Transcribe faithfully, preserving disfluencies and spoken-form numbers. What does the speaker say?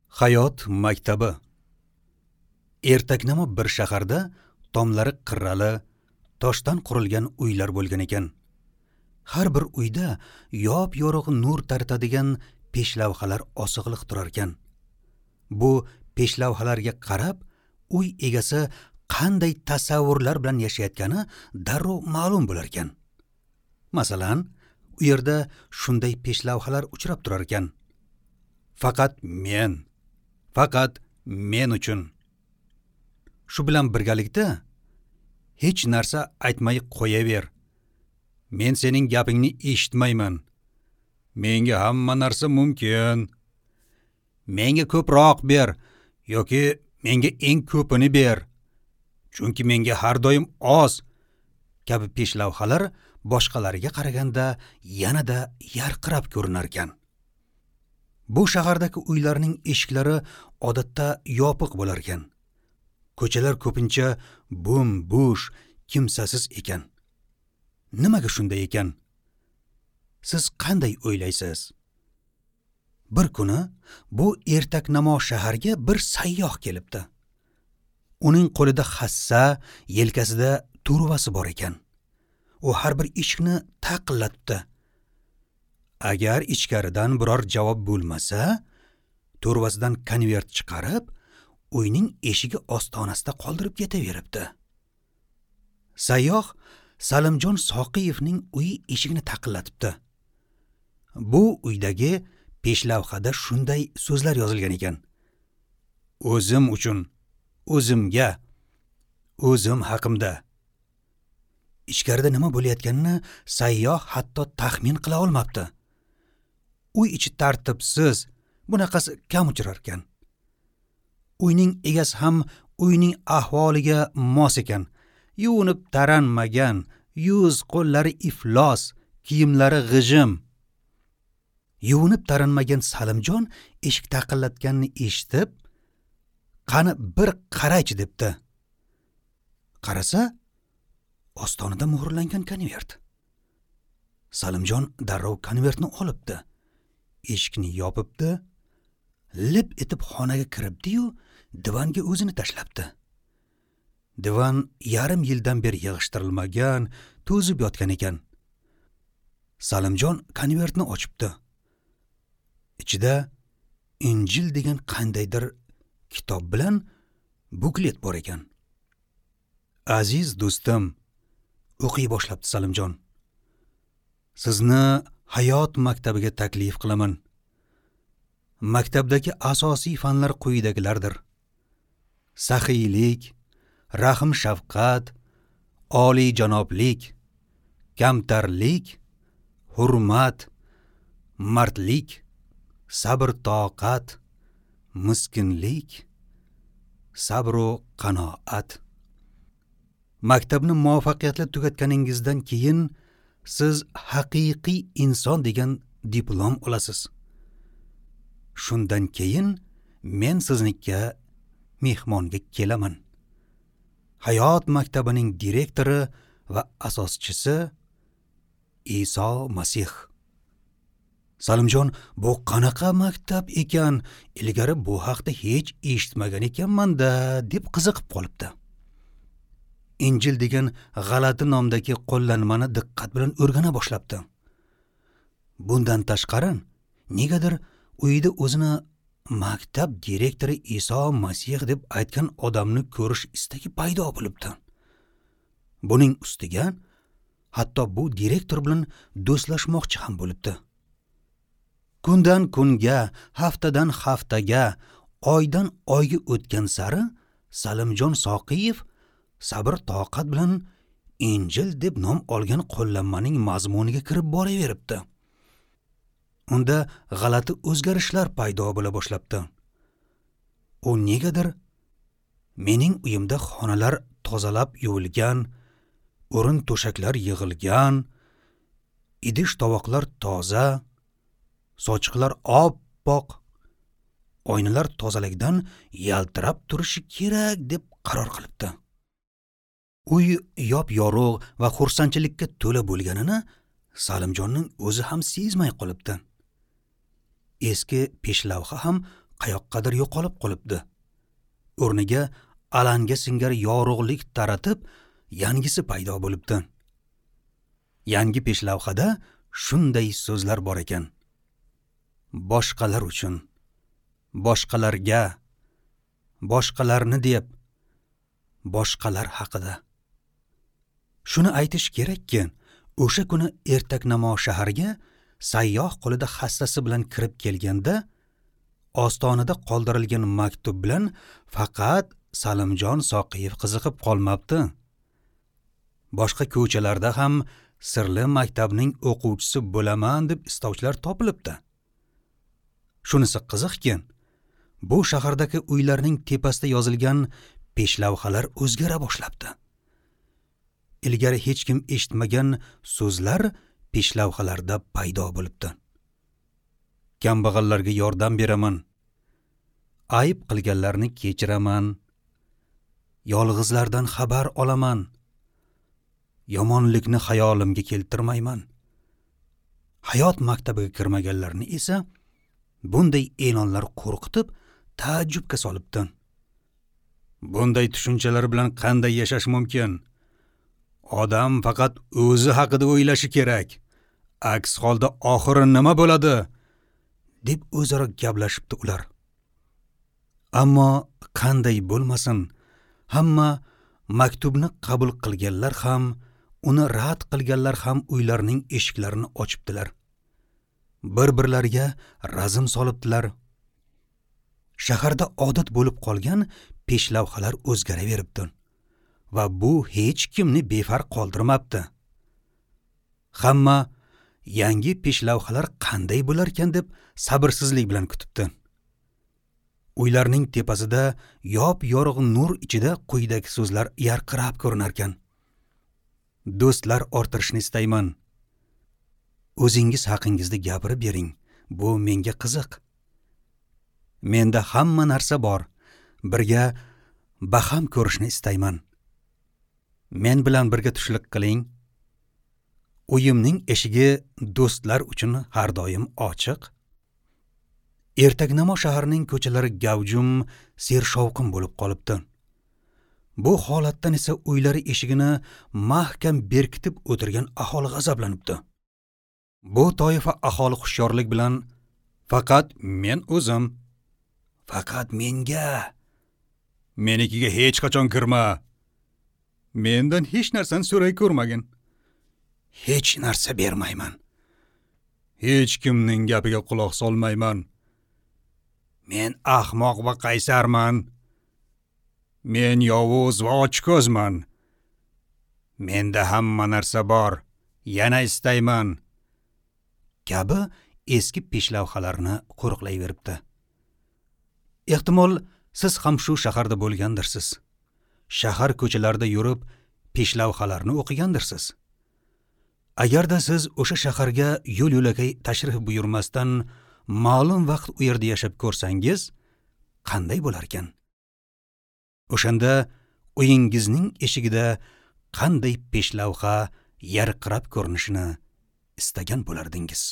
Hayot maktabi. Ertaknamo bir shaharda tomlari qirrali, toshdan qurilgan uylar bo'lgan ekan. Har bir uyda yop-yorug' nur taratadigan peshlavhalar osig'liq turar ekan. Bu peshlavhalarga qarab, uy egasi qanday tasavvurlar bilan yashayotgani darrov ma'lum bo'lar ekan. Masalan, u yerda shunday peshlavhalar uchrab turar ekan. Faqat men, faqat men uchun. Shu bilan birgalikda hech narsa aytmay qo'yaver. Men sening gapingni eshitmayman. Menga hamma narsa mumkin. Menga ko'proq ber yoki menga eng ko'pini ber. Chunki menga har doim oz kabi peshlavhalar boshqalariga qaraganda yanada yarqirab ko'rinar ekan. Bu shahardagi uylarning eshiklari odatda yopiq bo'lar ekan. Ko'chalar ko'pincha bo'm-bo'sh, kimsasiz ekan. Nimaga shunday ekan? Siz qanday o'ylaysiz? Bir kuni bu ertaknamo shaharga bir sayyoh kelibdi. Uning qo'lida hassa, yelkasida turvasi bor ekan. U har bir eshikni taqillatibdi. Agar ichkaridan biror javob bo'lmasa, to'rvasidan konvert chiqarib, uyning eshigi ostonasida qoldirib ketaveribdi. Sayyoh Salimjon Soqiyevning uyi eshigini taqillatibdi. Bu uydagi peshlavhada shunday so'zlar yozilgan ekan: O'zim uchun, o'zimga, o'zim haqimda. Ichkarida nima bo'layotganini sayyoh hatto taxmin qila olmabdi. Uy ichi tartibsiz, bunaqasi kam uchrar ekan. Uyning egasi ham uyning ahvoliga mos ekan. Yuvinib taranmagan, yuz qo'llari iflos, kiyimlari g'ijim. Yuvinib taranmagan Salimjon eshik taqillatganini eshitib, qani bir qaraychi debdi. Qarasa, ostonada muhrlangan konvert. Salimjon darrov konvertni olibdi. Eshikni yopibdi, lip etib xonaga kiribdi-yu, divanga o'zini tashlabdi. Divan yarim yildan beri yig'ishtirilmagan, to'zib yotgan ekan. Salimjon konvertni ochibdi. Ichida Injil degan qandaydir kitob bilan buklet bor ekan. Aziz do'stim, o'qiy boshlabdi Salimjon. Sizni hayot maktabiga taklif qilaman. Maktabdagi asosiy fanlar quyidagilardir: saxiylik, rahm-shafqat, oliyjanoblik, kamtarlik, hurmat, mardlik, sabr-toqat, miskinlik, sabr-u qanoat. Maktabni muvaffaqiyatli tugatganingizdan keyin siz haqiqiy inson degan diplom olasiz. Shundan keyin men siznikka mehmonga kelaman. Hayot maktabining direktori va asoschisi Iso Masih. Salimjon, bu qanaqa maktab ekan? Ilgari bu haqda hech eshitmagan ekanman-da, deb qiziqib qolibdi. Injil degan g'alati nomdagi qo'llanmani diqqat bilan o'rgana boshlabdi. Bundan tashqari, negadir uyida o'zini maktab direktori Iso Masih deb aytgan odamni ko'rish istagi paydo bo'libdi. Buning ustiga hatto bu direktor bilan do'stlashmoqchi ham bo'libdi. Kundan kunga, haftadan haftaga, oydan oyga o'tgan sari Salimjon Soqiyev sabr toqat bilan Injil deb nom olgan qo'llanmaning mazmuniga kirib boraveribdi. Unda g'alati o'zgarishlar paydo bo'la boshlabdi. U negadir mening uyimda xonalar tozalab yuvilgan, o'rin to'shaklar yig'ilgan, idish tovoqlar toza, sochiqlar oppoq, oynalar tozalikdan yaltirab turishi kerak deb qaror qilibdi. Uy yop-yorug' va xursandchilikka to'la bo'lganini Salimjonning o'zi ham sezmay qolibdi. Eski peshlavha ham qayoqqadir yo'qolib qolibdi. O'rniga alanga singari yorug'lik taratib, yangisi paydo bo'libdi. Yangi peshlavhada shunday so'zlar bor ekan: boshqalar uchun, boshqalarga, boshqalarni deb, boshqalar haqida. Shuni aytish kerakki, o'sha kuni ertaknamo shaharga sayyoh qo'lida hassasi bilan kirib kelganda, ostonada qoldirilgan maktub bilan faqat Salimjon Soqiyev qiziqib qolmabdi. Boshqa ko'chalarda ham sirli maktabning o'quvchisi bo'laman deb istovchilar topilibdi. Shunisi qiziqki, bu shahardagi uylarning tepasida yozilgan peshlavhalar o'zgara boshlabdi. Ilgari hech kim eshitmagan so'zlar peshlavhalarda paydo bo'libdi. Kambag'allarga yordam beraman, ayb qilganlarni kechiraman, yolg'izlardan xabar olaman, yomonlikni xayolimga keltirmayman. Hayot maktabiga kirmaganlarni esa bunday e'lonlar qo'rqitib, taajjubga solibdi. Bunday tushunchalar bilan qanday yashash mumkin? Odam faqat o'zi haqida o'ylashi kerak. Aks holda oxiri nima bo'ladi? Deb o'zaro gaplashibdi ular. Ammo qanday bo'lmasin, hamma maktubni qabul qilganlar ham, uni rad qilganlar ham uylarning eshiklarini ochibdilar. Bir-birlariga razm solibdilar. Shaharda odat bo'lib qolgan peshlavhalar o'zgaraveribdi va bu hech kimni befarq qoldirmabdi. Hamma yangi peshlavhalar qanday bo'larkan deb sabrsizlik bilan kutibdi. Uylarning tepasida yop-yorug' nur ichida quyidagi so'zlar yarqirab ko'rinarkan: Do'stlar orttirishni istayman. O'zingiz haqingizda gapirib bering. Bu menga qiziq. Menda hamma narsa bor. Birga baham ko'rishni istayman. Men bilan birga tushlik qiling. Uyimning eshigi do'stlar uchun har doim ochiq. Ertaknamo shahrining ko'chalari gavjum, sershovqin bo'lib qolibdi. Bu holatdan esa uylari eshigini mahkam berkitib o'tirgan aholi g'azablanibdi. Bu toifa aholi hushyorlik bilan faqat men o'zim, faqat menga, menikiga hech qachon kirma, mendan hech narsani so'ray ko'rmagin, hech narsa bermayman, hech kimning gapiga quloq solmayman, men ahmoq va qaysarman, men yovuz va ochko'zman, menda hamma narsa bor, yana istayman kabi eski peshlavhalarni qo'riqlayveribdi. Ehtimol siz ham shu shaharda bo'lgandirsiz. Shahar ko'chalarida yurib peshlavhalarni o'qigandirsiz. Agarda siz o'sha shaharga yo'l-yo'lakay tashrif buyurmasdan ma'lum vaqt u yerda yashab ko'rsangiz, qanday bo'larkan? O'shanda uyingizning eshigida qanday peshlavha yarqirab ko'rinishini istagan bo'lardingiz.